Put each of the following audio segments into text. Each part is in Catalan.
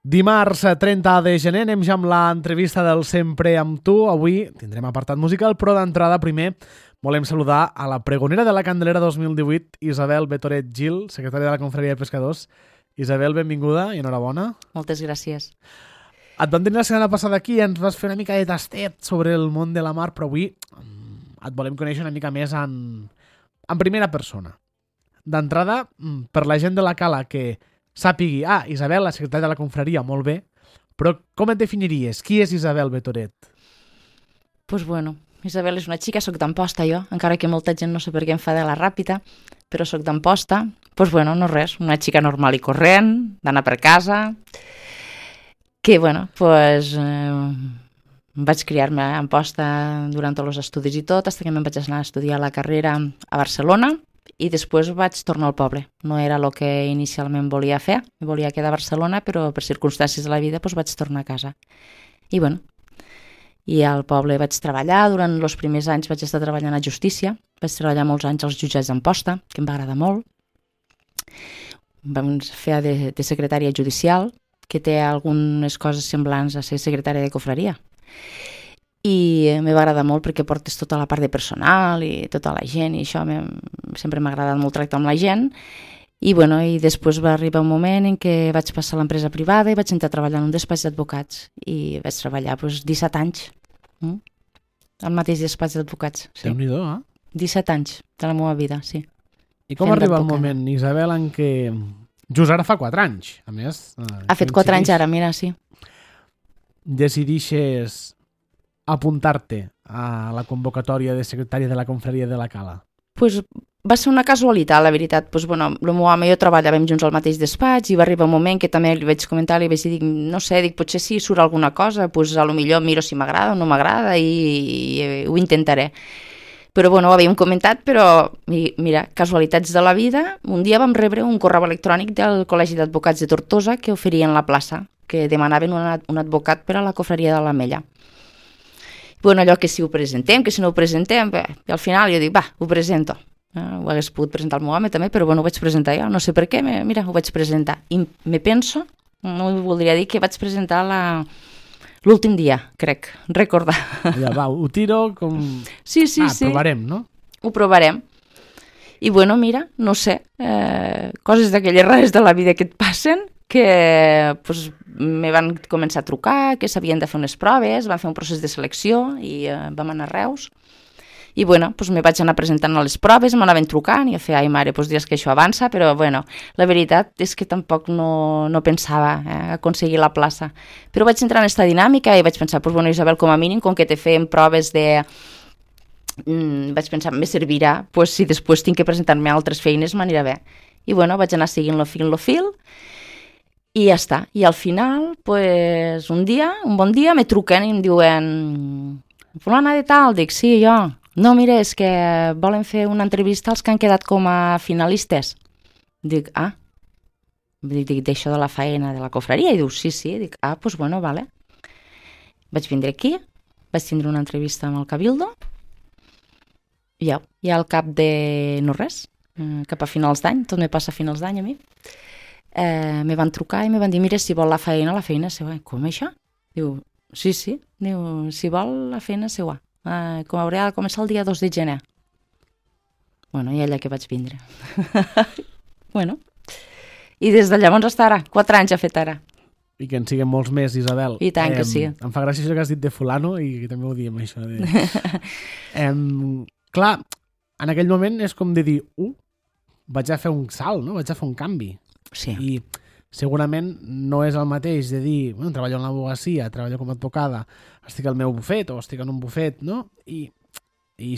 Dimarts 30 de gener anem ja amb l'entrevista del Sempre amb tu. Avui tindrem apartat musical, però d'entrada primer volem saludar a la pregonera de la Candelera 2018, Isabel Betoret Gil, secretària de la Confraria de Pescadors. Isabel, benvinguda i enhorabona. Moltes gràcies. Et vam tenir la setmana passada aquí i ens vas fer una mica de tastet sobre el món de la mar, però avui et volem conèixer una mica més en primera persona. D'entrada, per la gent de la Cala que sàpigui, Isabel, la secretària de la Confraria, molt bé, però com et definiries? Qui és Isabel Betoret? Pues bueno, Isabel és una xica, soc d'Amposta jo, encara que molta gent no sé per què em fa de la ràpida, però soc d'Amposta. Pues bueno, no res, una xica normal i corrent, d'anar per casa, que bueno, pues vaig criar-me a Amposta durant tots els estudis i tot, fins que me'n vaig anar a estudiar la carrera a Barcelona, i després vaig tornar al poble. No era el que inicialment volia fer, me volia quedar a Barcelona, però per circumstàncies de la vida vaig tornar a casa. I bueno, i al poble vaig treballar, durant els primers anys vaig estar treballant a Justícia, vaig treballar molts anys als jutjats d'Amposta, que em va agradar molt. Vam fer de secretària judicial, que té algunes coses semblants a ser secretària de confraria. I me va agradar molt perquè portes tota la part de personal i tota la gent, i això sempre m'ha agradat molt tractar amb la gent. I bueno, i després va arribar un moment en què vaig passar a l'empresa privada i vaig entrar a treballar en un despatx d'advocats, i vaig treballar 17 anys al mateix despatx d'advocats. Sí. Déu-n'hi-do, 17 anys de la meva vida, sí. I com arriba el moment, Isabel, en què just ara fa 4 anys, a més... Ha fet 4 anys ara, mira, sí. Decidixes apuntar-te a la convocatòria de secretària de la Confraria de la Cala? Pues va ser una casualitat, la veritat. Pues bueno, el meu home i jo treballàvem junts al mateix despatx i va arribar un moment que també li vaig comentar, li vaig dir, no sé, potser si surt alguna cosa, pues a lo millor miro si m'agrada o no m'agrada i ho intentaré. Però bueno, ho havíem comentat, però mira, casualitats de la vida, un dia vam rebre un correu electrònic del Col·legi d'Advocats de Tortosa que oferien la plaça, que demanaven un advocat per a la Confraria de l'Ametlla. Bueno, allò que si ho presentem, que si no ho presentem, bé, i al final jo dic, ho presento. Ho hagués pogut presentar el meu home també, però bueno, ho vaig presentar jo, no sé per què, mira, ho vaig presentar. I me penso, no voldria dir que vaig presentar l'últim dia, crec, recordar. Ja, ho tiro com... Sí. Provarem, no? Ho provarem. I bueno, mira, no sé, coses d'aquelles rares de la vida que et passen, que pues, me van començar a trucar, que s'havien de fer unes proves, van fer un procés de selecció i vam anar a Reus. I bueno, pues, me vaig anar presentant a les proves, m'anaven trucant i a fer, ai mare, pues, dius que això avança, però bueno, la veritat és que tampoc no pensava aconseguir la plaça. Però vaig entrar en aquesta dinàmica i vaig pensar, pues, bueno, Isabel, com a mínim, com que te fem proves de... vaig pensar, me servirà, pues, si després tinc que presentar-me a altres feines, m'anirà bé. I bueno, vaig anar seguint lo fil, i ja està. I al final, pues, un bon dia, me truquen i em diuen fulana de tal, dic, sí, jo. No, mira, és que volen fer una entrevista als que han quedat com a finalistes. Dic, dic, d'això de la faena de la confraria? I diu, sí, dic, pues bueno, vale. Vaig vindre aquí, vaig tindre una entrevista amb el Cabildo, i al cap de no res, cap a finals d'any, tot me passa a finals d'any a mi, me van trucar i me van dir, mira, si vol la feina és seva. Com això? Diu, sí. Diu, si vol la feina és seva. Com haurà de començar el dia 2 de gener. Bueno, i allà que vaig vindre. Bueno, i des de llavors fins ara, 4 anys ha fet ara. I que en siguin molts més, Isabel. I tant que sí. Em fa gràcia això que has dit de fulano i també ho diem, això. Clar, en aquell moment és com de dir, vaig a fer un salt, no? Vaig a fer un canvi. Sí. I segurament no és el mateix de dir, bueno, treballo en l'advocacia, treballo com a advocada, estic al meu bufet o estic en un bufet, no? I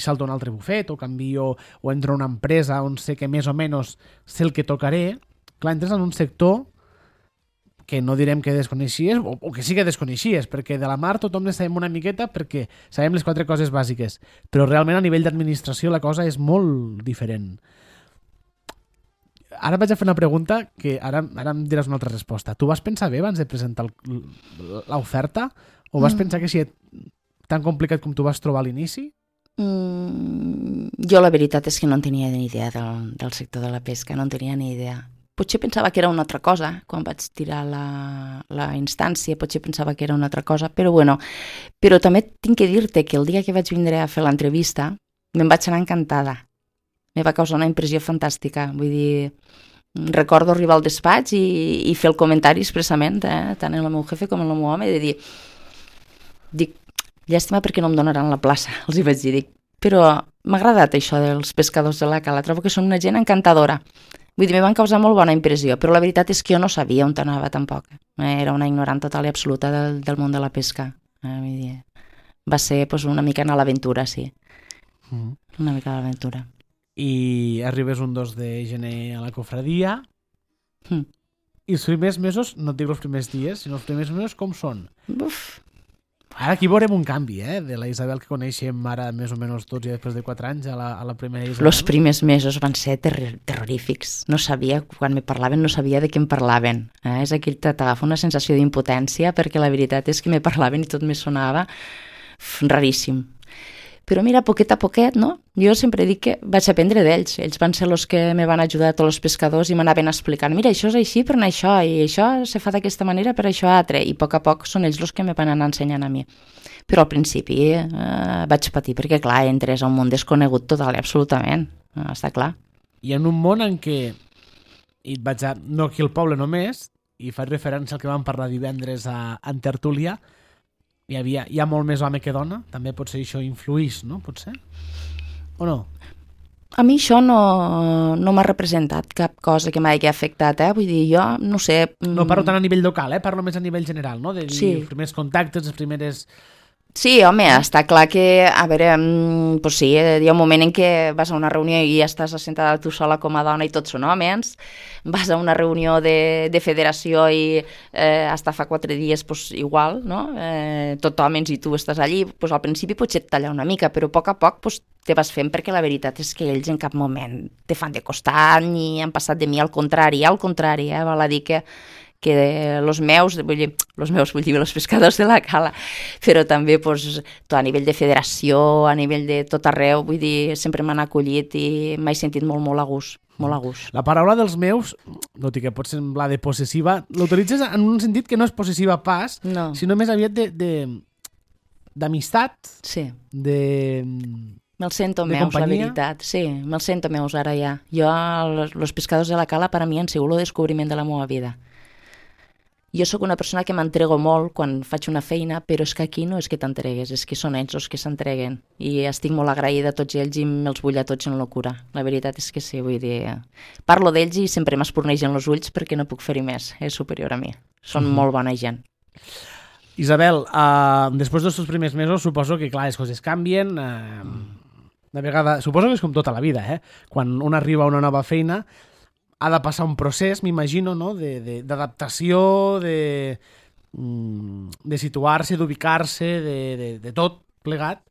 salto a un altre bufet o canvio o entro a una empresa on sé que més o menys sé el que tocaré. Clar, entres en un sector que no direm que desconeixies o que sí que desconeixies, perquè de la mar tothom ne sabem una miqueta perquè sabem les 4 coses bàsiques, però realment a nivell d'administració la cosa és molt diferent. Ara vaig a fer una pregunta que ara em diràs una altra resposta. Tu vas pensar bé abans de presentar l'oferta o vas pensar que si és tan complicat com tu vas trobar a l'inici? Jo la veritat és que no en tenia ni idea del sector de la pesca, no en tenia ni idea. potser pensava que era una altra cosa, quan vaig tirar la instància, potser pensava que era una altra cosa, però bueno, però també tinc que dir-te que el dia que vaig vindre a fer l'entrevista me'n vaig anar encantada. Me va causar una impressió fantàstica, vull dir, recordo arribar al despatx i fer el comentari expressament, tant en el meu jefe com en el meu home, de dir, dic, llàstima perquè no em donaran la plaça, els hi vaig dir, dic, però m'ha agradat això dels pescadors de la Cala, trobo que són una gent encantadora. Vull dir, me van causar molt bona impressió, però la veritat és que jo no sabia on anava tampoc. Era una ignorant total i absoluta del món de la pesca. Vull dir, va ser pues, una mica a l'aventura, sí. Una mica a l'aventura. I arribes un 2 de gener a la cofradia i els primers mesos, no et dic els primers dies, sinó els primers mesos com són? Uf. Ara aquí veurem un canvi, de la Isabel que coneixem ara més o menys tots i després de 4 anys a la primera Isabel. Els primers mesos van ser terrorífics. No sabia, quan me parlaven, no sabia de què em parlaven. És aquell que t'agafa una sensació d'impotència perquè la veritat és que me parlaven i tot me sonava raríssim. Però mira, poquet a poquet, no? Jo sempre dic que vaig aprendre d'ells. Ells van ser els que me van ajudar, tots els pescadors, i m'anaven explicant, mira, això és així per anar això, i això se fa d'aquesta manera per això altre, i a poc són ells els que me van anar ensenyant a mi. Però al principi vaig patir, perquè clar, entres a un món desconegut total i absolutament, està clar. I en un món en què, i vaig a, no aquí al poble només, i faig referència al que vam parlar divendres en tertúlia, hi ha molt més home que dona, també potser això influïx, no? Potser? O no? A mi això no m'ha representat cap cosa que m'hagi afectat, vull dir, jo no sé... No parlo tant a nivell local, parlo més a nivell general, no? De dir, sí. Els primers contactes, les primeres... Sí, home, està clar que, a veure, pues sí, hi ha un moment en què vas a una reunió i ja estàs assentada tu sola com a dona i tots són homes, vas a una reunió de federació i hasta fa 4 dies pues, igual, no? Tot homes i tu estàs allí, pues, al principi potser et talla una mica, però a poc pues, te vas fent perquè la veritat és que ells en cap moment te fan de costat ni han passat de mi, al contrari, val a dir que els meus, vull dir, els pescadors de la Cala, però també pues, tot a nivell de federació, a nivell de tot arreu, vull dir, sempre m'han acollit i m'he sentit molt a gust. Molt a gust. La paraula dels meus, tot i que pot semblar de possessiva, l'utilitzes en un sentit que no és possessiva pas, no. Sinó més aviat d'amistat, sí. Me'l sento meus, la veritat. Sí, me'l sento meus ara ja. Jo, els pescadors de la Cala, per a mi han sigut el descobriment de la meva vida. Jo sóc una persona que m'entrego molt quan faig una feina, però és que aquí no és que t'entregues, és que són ells els que s'entreguen. I estic molt agraïda a tots ells i me'ls vull a tots en locura. La veritat és que sí, vull dir... Parlo d'ells i sempre m'espurnegen els ulls perquè no puc fer-hi més, és superior a mi. Són molt bona gent. Isabel, després dels primers mesos suposo que, clar, les coses canvien. De vegada, suposo que és com tota la vida, Quan un arriba a una nova feina... ha de passar un procés, m'imagino, no? D'adaptació, de situar-se, d'ubicar-se, de tot plegat.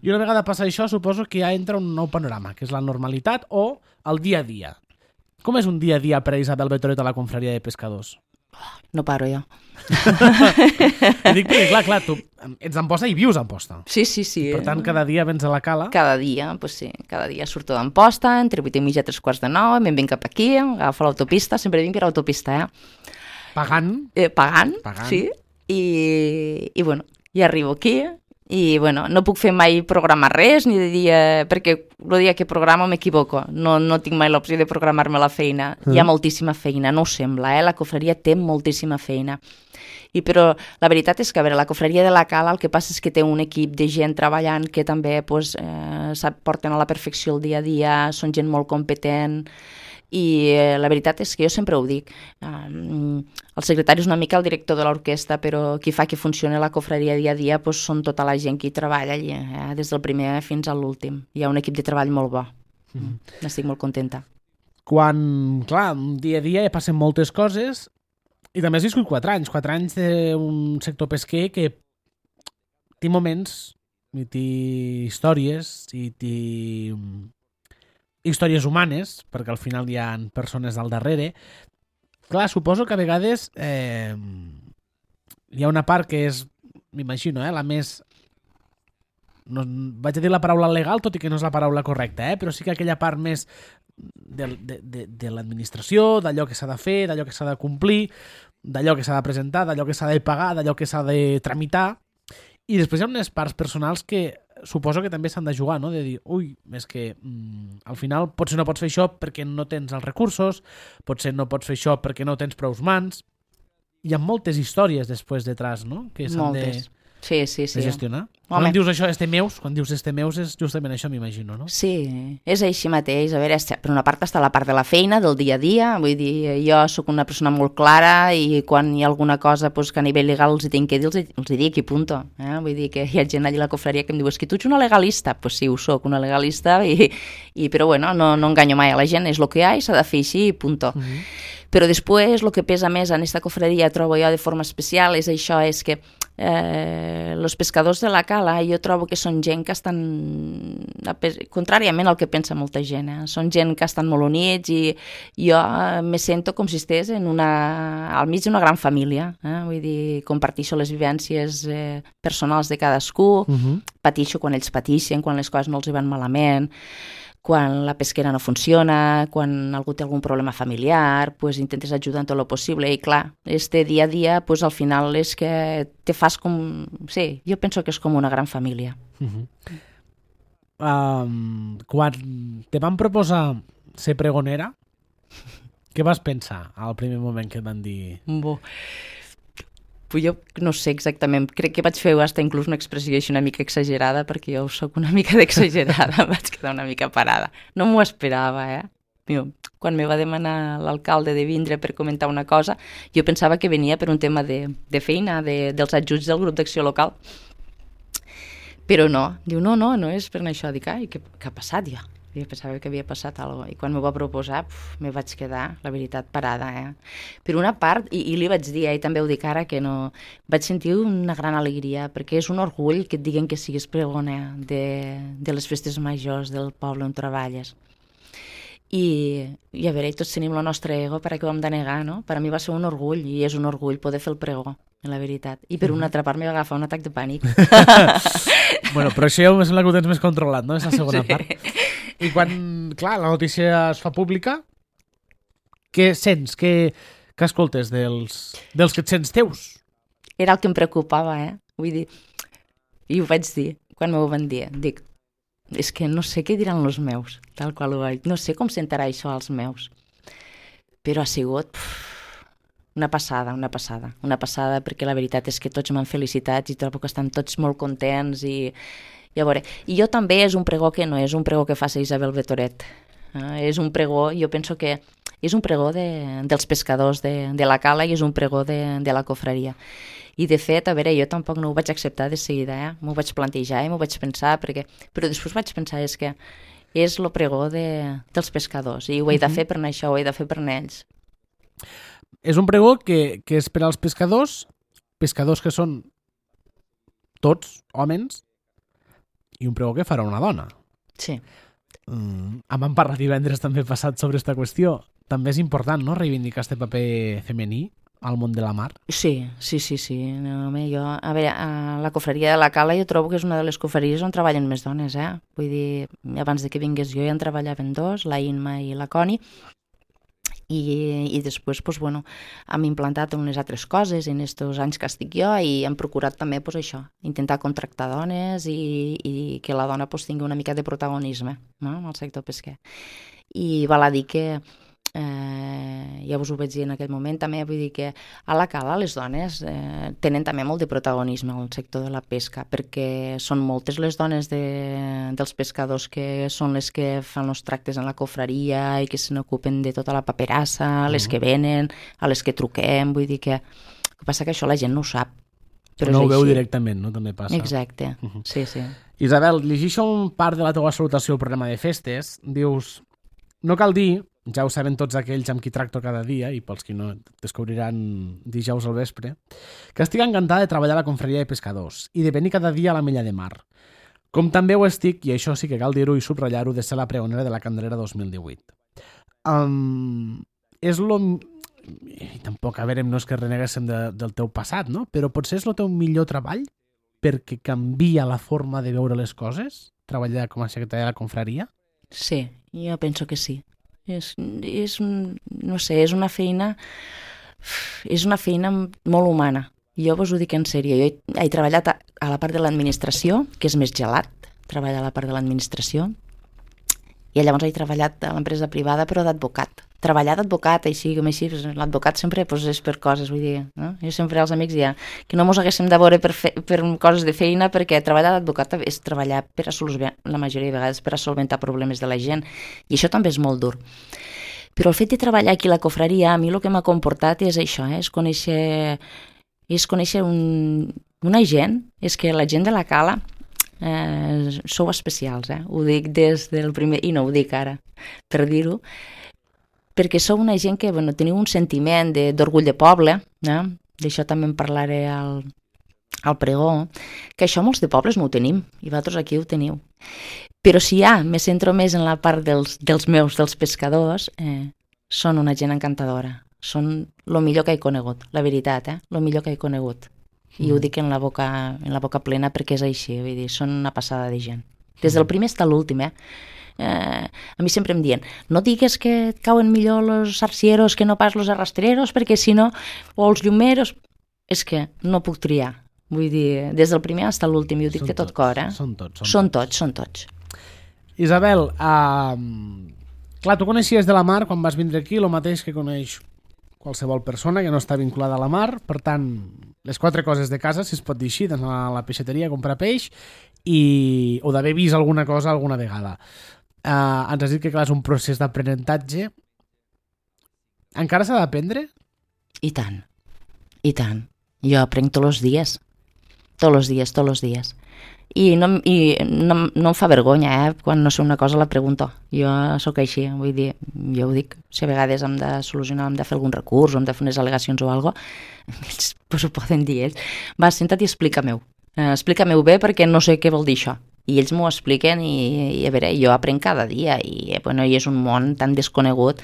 I una vegada passa això, suposo que ja entra un nou panorama, que és la normalitat o el dia a dia. Com és un dia a dia per a Isabel Betoret a la confraria de pescadors? No paro jo. Dic perquè, clar, tu ets d'Amposta i vius a Amposta. Sí. Per tant, cada dia vens a la Cala. Cada dia, pues sí. Cada dia surto d'Amposta, entre 8:30 i 3:45, me'n vinc cap aquí, agafo l'autopista, sempre vinc per l'autopista, Pagant. Pagant, sí. I bueno, i arribo aquí i bueno, no puc fer mai programar res ni de dir, perquè el dia que programo m'equivoco, no tinc mai l'opció de programar-me la feina. Hi ha moltíssima feina, no ho sembla, la cofreria té moltíssima feina. Però la veritat és que, a veure, la cofreria de la Cala el que passa és que té un equip de gent treballant que també pues, porten a la perfecció el dia a dia, són gent molt competent i la veritat és que jo sempre ho dic, el secretari és una mica el director de l'orquestra, però qui fa que funcioni la cofreria dia a dia pues, són tota la gent que hi treballa allí, des del primer fins a l'últim. Hi ha un equip de treball molt bo. N'estic molt contenta. Quan, clar, dia a dia ja passen moltes coses i també has viscut 4 anys d'un sector pesquer que té moments i té històries i té històries humanes, perquè al final hi ha persones al darrere. Clar, suposo que a vegades hi ha una part que és, m'imagino, la més no, vaig a dir la paraula legal, tot i que no és la paraula correcta, però sí que aquella part més de l'administració, d'allò que s'ha de fer, d'allò que s'ha de complir, d'allò que s'ha de presentar, d'allò que s'ha de pagar, d'allò que s'ha de tramitar, i després hi ha unes parts personals que suposo que també s'han de jugar, no? De dir, ui, és que al final potser no pots fer això perquè no tens els recursos, potser no pots fer això perquè no tens prous mans. Hi ha moltes històries després detrás, no? Que s'han de gestionar. Quan dius això, quan dius este meus és justament això, m'imagino, no? Sí, és així mateix. A veure, per una part està la part de la feina, del dia a dia, vull dir, jo sóc una persona molt clara i quan hi ha alguna cosa que a nivell legal els hi tinc que dir, els hi dic i punto. Vull dir que hi ha gent allà a la cofreria que em diu, és que tu ets una legalista. Pues sí, ho soc, una legalista, però bueno, no enganyo mai a la gent, és el que hi ha i s'ha de fer així i punto. Però després el que pesa més en aquesta cofreria, trobo jo de forma especial, és això, és que els pescadors de la cala jo trobo que són gent que estan contràriament al que pensa molta gent, són gent que estan molt units i jo me sento com si estigués al mig d'una gran família, vull dir, comparteixo les vivències personals de cadascú, pateixo quan ells pateixen, quan les coses no els van malament, quan la pesquera no funciona, quan algú té algun problema familiar, pues intentes ajudar en tot el possible i clar, este dia a dia pues, al final és que te fas com... Sí, jo penso que és com una gran família. Quan te van proposar ser pregonera, què vas pensar al primer moment que et van dir? Pues jo no sé exactament, crec que vaig fer fins inclús una expressió així una mica exagerada, perquè jo sóc una mica d'exagerada, vaig quedar una mica parada. No m'ho esperava, Quan me va demanar l'alcalde de vindre per comentar una cosa, jo pensava que venia per un tema de feina, dels ajuts del grup d'acció local. Però no, diu, no és per això. Dic, ai, què ha passat ja? Jo pensava que havia passat alguna cosa. I quan m'ho va proposar, me vaig quedar, la veritat, parada. Per una part, i li vaig dir, i també ho dic ara, que no... Vaig sentir una gran alegria, perquè és un orgull que et diguen que siguis pregona de les festes majors del poble on treballes. I a veure, tots tenim el nostre ego, per a què ho hem de negar, no? Per a mi va ser un orgull, i és un orgull poder fer el pregó, la veritat. I per una altra part m'hi va agafar un atac de pànic. Bueno, però això ja em sembla que ho tens més controlat, no? És la segona part. I quan, clar, la notícia es fa pública, què sents? Què escoltes dels que et sents teus? Era el que em preocupava, Vull dir, i ho vaig dir, quan m'ho van dir. Dic, és que no sé què diran els meus, tal qual ho vaig. No sé com sentarà això als meus. Però ha sigut una passada, perquè la veritat és que tots m'han felicitat i trobo que estan tots molt contents i a veure, i jo també és un pregó que no és un pregó que faci Isabel Betoret. És un pregó, jo penso que és un pregó dels pescadors de la cala i és un pregó de la cofreria. I de fet, a veure, jo tampoc no ho vaig acceptar de seguida, m'ho vaig plantejar i m'ho vaig pensar, però després vaig pensar és que és el pregó dels pescadors i ho he de fer per això, ho he de fer per ells. És un pregó que és per als pescadors que són tots homes, i un pregó que farà una dona. Sí. Em van parlar divendres també passat sobre aquesta qüestió. També és important, no?, reivindicar este paper femení al món de la mar. Sí. No, jo, a veure, a la cofreria de la Cala jo trobo que és una de les cofreries on treballen més dones, Vull dir, abans de que vingués jo ja en treballaven dos, la Inma i la Coni, i després, doncs, bueno, hem implantat unes altres coses en aquests anys que estic jo i hem procurat també, doncs, això, intentar contractar dones i que la dona doncs, tingui una mica de protagonisme, no?, en el sector pesquer. I val a dir que ja us ho vaig dir en aquell moment també, vull dir que a la cala les dones tenen també molt de protagonisme en el sector de la pesca, perquè són moltes les dones dels pescadors que són les que fan els tractes en la cofreria i que se n'ocupen de tota la paperassa, les que venen, a les que truquem, vull dir que... El que passa que això la gent no ho sap. Però no ho veu directament, no? També passa. Exacte, sí. Isabel, llegeixo un part de la teva salutació al programa de festes. Dius, no cal dir, ja ho saben tots aquells amb qui tracto cada dia, i pels que no descobriran dijous al vespre, que estic encantada de treballar a la confraria de pescadors i de venir cada dia a la Mella de Mar. Com també ho estic, i això sí que cal dir-ho i subratllar-ho, de ser la pregonera de la Candelera 2018. És lo... I tampoc, a veure, no és que reneguéssim del teu passat, no? Però potser és el teu millor treball? perquè canvia la forma de veure les coses, treballar com a secretària de la confraria? Sí, jo penso que sí. No sé, és una feina molt humana. Jo vos ho dic en sèrio. Jo he treballat a la part de l'administració, que és més gelat, treballar a la part de l'administració, i llavors he treballat a l'empresa privada, però d'advocat. Treballar d'advocat, així com així, l'advocat sempre és per coses, vull dir, no? Jo sempre als amics ja, que no mos haguéssim de veure per coses de feina, perquè treballar d'advocat és treballar per a solucionar, la majoria de vegades, per a solventar problemes de la gent, i això també és molt dur. Però el fet de treballar aquí a la confraria, a mi el que m'ha comportat és això, és conèixer una gent, és que la gent de la Cala sou especials, ho dic des del primer, i no ho dic ara per dir-ho, perquè sou una gent que teniu un sentiment d'orgull de poble, d'això també en parlaré al pregó, que això molts de pobles no ho tenim, i vosaltres aquí ho teniu. Però si me centro més en la part dels pescadors, són una gent encantadora, són el millor que he conegut, la veritat, el millor que he conegut. I ho dic en la boca plena perquè és així, vull dir, són una passada de gent. Des del primer fins a l'últim, a mi sempre em diuen, no digues que et cauen millor els arcieros que no pas els arrastreros, perquè si no, o els llumeros, és que no puc triar. Vull dir, des del primer fins a l'últim, i ho dic de tot cor, Són tots. Isabel, clar, tu coneixies de la mar quan vas vindre aquí, el mateix que coneix qualsevol persona que no està vinculada a la mar, per tant, les 4 coses de casa, si es pot dir així, d'anar a la peixateria a comprar peix o d'haver vist alguna cosa alguna vegada. Ens has dit que clar, és un procés d'aprenentatge. Encara s'ha d'aprendre? I tant. Jo aprenc tots els dies. I no em fa vergonya, quan no sé una cosa la pregunto. Jo sóc així, vull dir, jo ho dic, si a vegades hem de solucionar, hem de fer algun recurs, o hem de fer unes al·legacions o alguna cosa, ells ho poden dir ells. Va, senta't i explica-m'ho. Explica-m'ho bé perquè no sé què vol dir això. I ells m'ho expliquen i a veure, jo aprenc cada dia i és un món tan desconegut.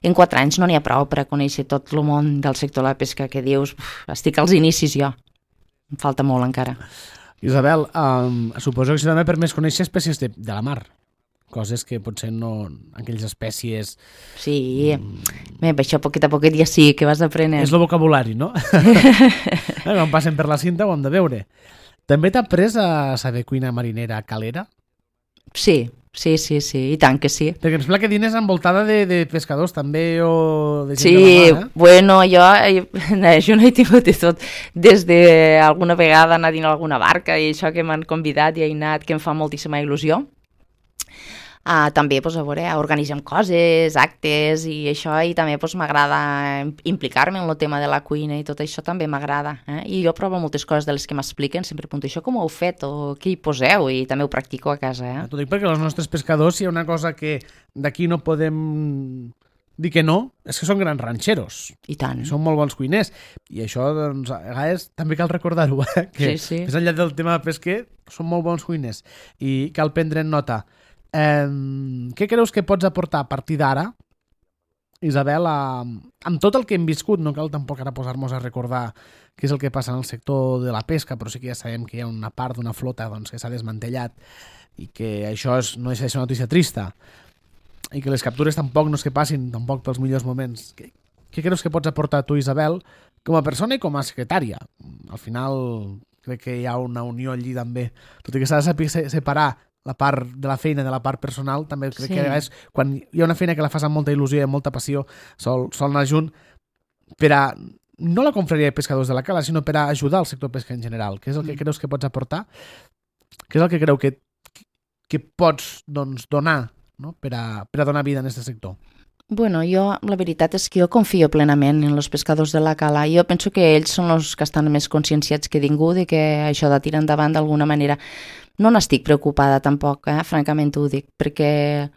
En 4 anys no n'hi ha prou per a conèixer tot el món del sector de la pesca que dius, estic als inicis jo. Em falta molt encara. Isabel, suposo que això també permet conèixer espècies de la mar, coses que potser no, aquelles espècies... Sí, això poquet a poquet ja sí que vas aprenent. És el vocabulari, no? Quan passen per la cinta ho hem de veure. També t'ha après a saber cuina marinera calera? Sí, i tant que sí. Perquè em sembla que dines envoltada de pescadors també o de gent sí, de la mar, bueno, jo no he tingut de tot. Des d'alguna vegada anar dins alguna barca i això que m'han convidat i he anat, que em fa moltíssima il·lusió. També, a veure, organitzem coses, actes i això, i també m'agrada implicar-me en el tema de la cuina i tot això també m'agrada. I jo provo moltes coses de les que m'expliquen, sempre apunto això com ho heu fet o què hi poseu, i també ho practico a casa. T'ho dic perquè els nostres pescadors, hi ha una cosa que d'aquí no podem dir que no, és que són grans ranxeros. I tant. Són molt bons cuiners. I això, doncs, a vegades també cal recordar-ho, que sí. Més enllà del tema de pesquer, són molt bons cuiners i cal prendre en nota. Què creus que pots aportar a partir d'ara, Isabel, amb tot el que hem viscut? No cal tampoc ara posar-nos a recordar què és el que passa en el sector de la pesca, però sí que ja sabem que hi ha una part d'una flota que s'ha desmantellat i que això no és una notícia trista i que les captures tampoc no és que passin tampoc pels millors moments. Què creus que pots aportar tu, Isabel, com a persona i com a secretària? Al final crec que hi ha una unió allí també, tot i que s'ha de saber separar la part de la feina de la part personal. També crec que és quan hi ha una feina que la fas amb molta il·lusió i amb molta passió, sol anar junt per a, no la confraria de pescadors de la Cala, sinó per a ajudar el sector pesca en general. Què és el que creus que pots aportar? Què és el que creu que pots donar, no? per a donar vida en aquest sector? Bueno, la veritat és que jo confio plenament en els pescadors de la Cala. Jo penso que ells són els que estan més conscienciats que ningú de que això de tirar endavant d'alguna manera. No n'estic preocupada tampoc, francament ho dic, perquè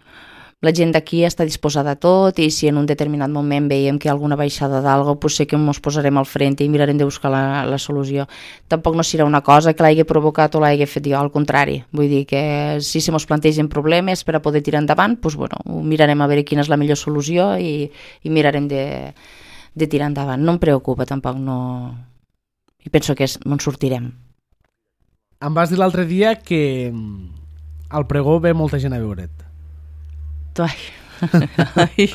la gent d'aquí està disposada a tot i si en un determinat moment veiem que hi ha alguna baixada d'algo, pues sé que ens posarem al frente i mirarem de buscar la solució. Tampoc no serà una cosa que l'hagi provocat o l'hagi fet jo, al contrari. Vull dir que si se mos plantegen problemes per a poder tirar endavant, pues bueno, mirarem a veure quina és la millor solució i mirarem de tirar endavant. No em preocupa tampoc, no... I penso que en sortirem. Em vas dir l'altre dia que al pregó ve molta gent a veure't. Ai,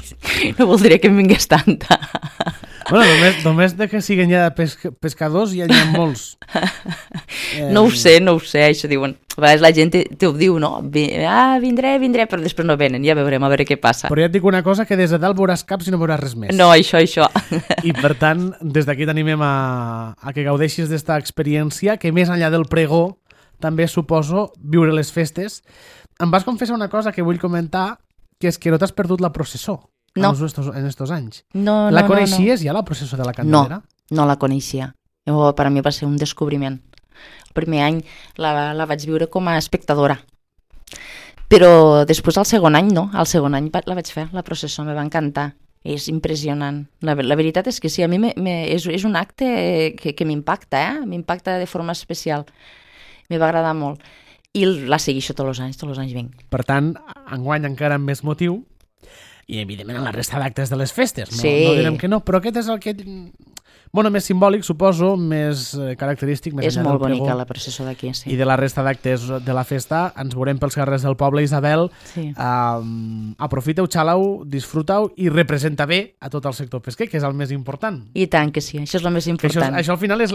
no voldria que em vingués tanta. Bueno, només de que siguin ja pescadors ja n'hi ha molts. No ho sé, això diuen. A vegades la gent te ho diu, no? Vindré, però després no venen, ja veurem, a veure què passa. Però ja et dic una cosa, que des de dalt veuràs caps i no veuràs res més. No, això. I per tant, des d'aquí t'animem a que gaudeixis d'esta experiència, que més enllà del pregó també suposo viure les festes. Em vas confessar una cosa que vull comentar, que és que no t'has perdut la processó. No. En estos anys. No. La coneixies ja, la processó de la Candelera? No la coneixia. Per a mi va ser un descobriment. El primer any la vaig viure com a espectadora. Però després, al segon any, no. Al segon any la vaig fer, la processó, me va encantar. És impressionant. La veritat és que sí, a mi és un acte que m'impacta, m'impacta de forma especial. Me va agradar molt. I la segueixo tots els anys vinc. Per tant, enguany encara amb més motiu, i evidentment en la resta d'actes de les festes, no, sí. No direm que no, però aquest és el que... Bueno, més simbòlic, suposo, més característic. Més és molt bonica la processó d'aquí, sí. I de la resta d'actes de la festa ens veurem pels carrers del poble, Isabel. Sí. Aprofiteu, xaleu, disfruteu i representa bé a tot el sector pesquer, que és el més important. I tant que sí, això és el més important. Això al final és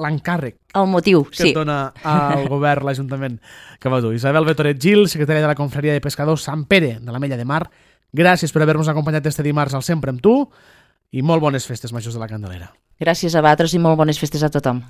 l'encàrrec el motiu, que et dona al govern, l'Ajuntament que va dur. Isabel Betoret Gil, secretària de la Confraria de Pescadors Sant Pere de l'Ametlla de Mar, gràcies per haver-nos acompanyat este dimarts al Sempre amb tu i molt bones festes majors de la Candelera. Gràcies a vosaltres i molt bones festes a tothom.